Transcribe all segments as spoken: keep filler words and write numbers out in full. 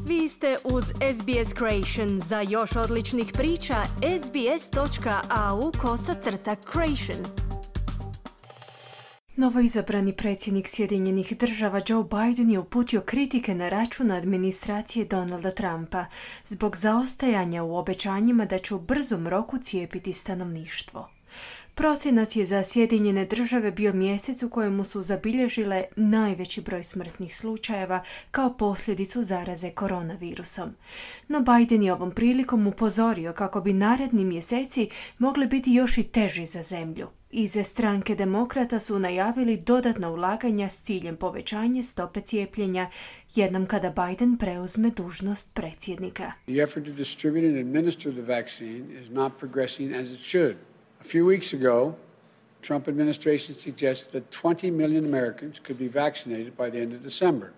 Vi ste uz S B S Creation. Za još odličnih priča, sbs.au kosacrta creation. Novoizabrani predsjednik Sjedinjenih država Joe Biden je uputio kritike na račun administracije Donalda Trumpa zbog zaostajanja u obećanjima da će u brzom roku cijepiti stanovništvo. Prosinac je za Sjedinjene države bio mjesec u kojemu su zabilježile najveći broj smrtnih slučajeva kao posljedicu zaraze koronavirusom. No Biden je ovom prilikom upozorio kako bi naredni mjeseci mogli biti još i teži za zemlju. Iz stranke Demokrata su najavili dodatna ulaganja s ciljem povećanja stope cijepljenja jednom kada Biden preuzme dužnost predsjednika. The effort to distribute and administer the vaccine is not progressing as it should. A few weeks ago, Trump administration suggested that twenty million Americans could be vaccinated by the end of December.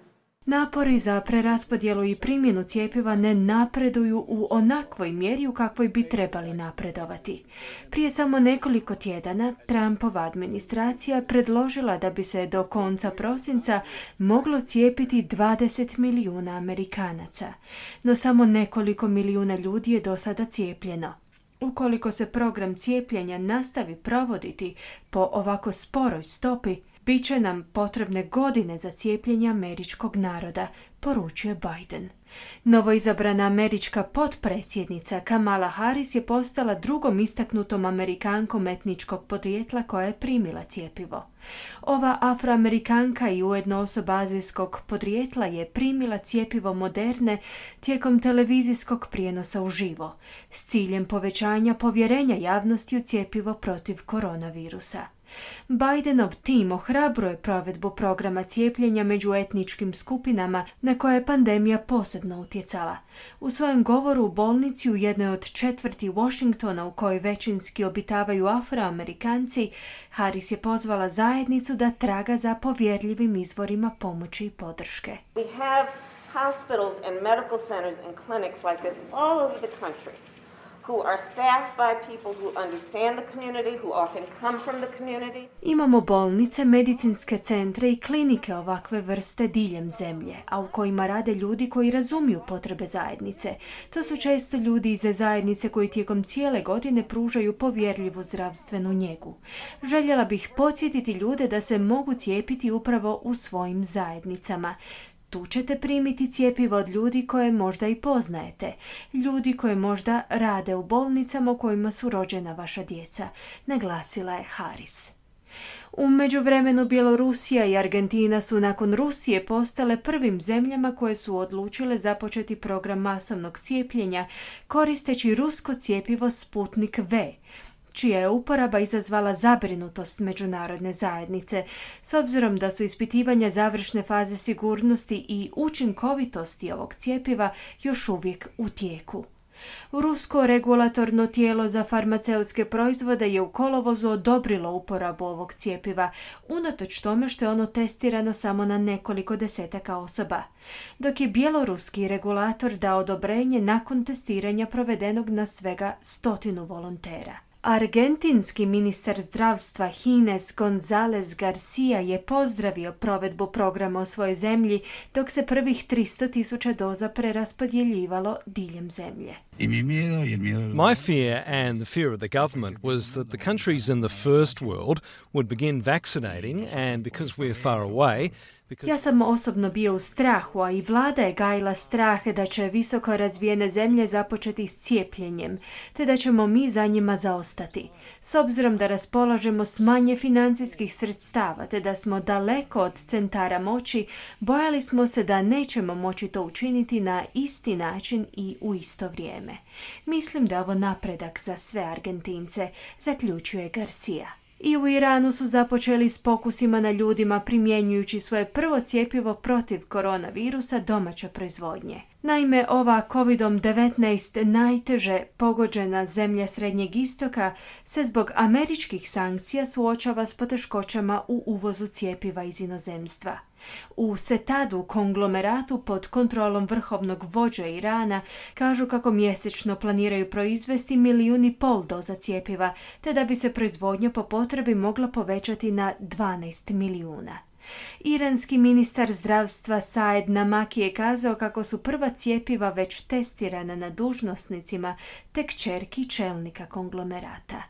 Napori za preraspodjelu i primjenu cjepiva ne napreduju u onakvoj mjeri u kakvoj bi trebali napredovati. Prije samo nekoliko tjedana Trumpova administracija predložila da bi se do konca prosinca moglo cijepiti dvadeset milijuna Amerikanaca, no samo nekoliko milijuna ljudi je do sada cijepljeno. Ukoliko se program cijepljenja nastavi provoditi po ovako sporoj stopi, bit će nam potrebne godine za cijepljenje američkog naroda, poručuje Biden. Novoizabrana američka potpredsjednica Kamala Harris je postala drugom istaknutom Amerikankom etničkog podrijetla koja je primila cjepivo. Ova Afroamerikanka i ujedno osoba azijskog podrijetla je primila cjepivo Moderne tijekom televizijskog prijenosa uživo, s ciljem povećanja povjerenja javnosti u cjepivo protiv koronavirusa. Bidenov tim ohrabruje provedbu programa cijepljenja među etničkim skupinama na koje je pandemija posebno utjecala. U svojem govoru u bolnici u jednoj od četvrti Washingtona u kojoj većinski obitavaju Afroamerikanci, Harris je pozvala zajednicu da traga za povjerljivim izvorima pomoći i podrške. We have hospitals and medical centers and clinics like this all over the country, who are staffed by people who understand the community, who often come from the community. Imamo bolnice, medicinske centre i klinike ovakve vrste diljem zemlje, a u kojima rade ljudi koji razumiju potrebe zajednice. To su često ljudi iz zajednice koji tijekom cijele godine pružaju povjerljivu zdravstvenu njegu. Željela bih podsjetiti ljude da se mogu cijepiti upravo u svojim zajednicama. Tu ćete primiti cjepivo od ljudi koje možda i poznajete, ljudi koje možda rade u bolnicama u kojima su rođena vaša djeca, naglasila je Harris. U međuvremenu Bjelorusija i Argentina su nakon Rusije postale prvim zemljama koje su odlučile započeti program masovnog cijepljenja koristeći rusko cjepivo Sputnik V, čija je uporaba izazvala zabrinutost međunarodne zajednice, s obzirom da su ispitivanja završne faze sigurnosti i učinkovitosti ovog cjepiva još uvijek u tijeku. Rusko regulatorno tijelo za farmaceutske proizvode je u kolovozu odobrilo uporabu ovog cjepiva, unatoč tome što je ono testirano samo na nekoliko desetaka osoba, dok je bjeloruski regulator dao odobrenje nakon testiranja provedenog na svega stotinu volontera. Argentinski ministar zdravstva Ginés González García je pozdravio provedbu programa u svojoj zemlji dok se prvih tristo tisuća doza preraspodjeljivalo diljem zemlje. My fear and the fear of the government was that the countries in the first world would begin vaccinating, and because we're far away, Ja sam osobno bio u strahu, a i vlada je gajila strah da će visoko razvijene zemlje započeti s cijepljenjem, te da ćemo mi za njima zaostati. S obzirom da raspolažemo s manje financijskih sredstava, te da smo daleko od centara moći, bojali smo se da nećemo moći to učiniti na isti način i u isto vrijeme. Mislim da je ovo napredak za sve Argentince, zaključuje Garcia. I u Iranu su započeli s pokusima na ljudima primjenjujući svoje prvo cjepivo protiv koronavirusa domaće proizvodnje. Naime, ova kovid devetnaest najteže pogođena zemlja Srednjeg istoka se zbog američkih sankcija suočava s poteškoćama u uvozu cjepiva iz inozemstva. U Setadu, konglomeratu pod kontrolom vrhovnog vođa Irana, kažu kako mjesečno planiraju proizvesti milijun i pol doza cjepiva, te da bi se proizvodnja po potrebi mogla povećati na dvanaest milijuna. Iranski ministar zdravstva Saed Namaki je kazao kako su prva cjepiva već testirana na dužnosnicima te kćerki čelnika konglomerata.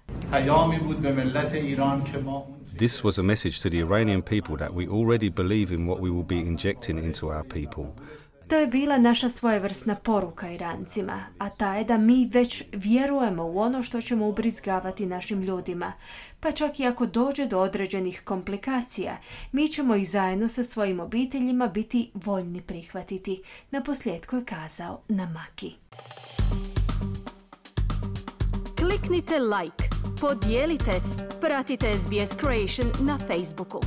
This was a message to the Iranian people that we already believe in what we will be injecting into our people. To je bila naša svojevrsna poruka Irancima, a ta je da mi već vjerujemo u ono što ćemo ubrizgavati našim ljudima. Pa čak i ako dođe do određenih komplikacija, mi ćemo ih zajedno sa svojim obiteljima biti voljni prihvatiti, naposljetku je kazao Namaki. Kliknite like, podijelite, pratite S B S Creation na Facebooku.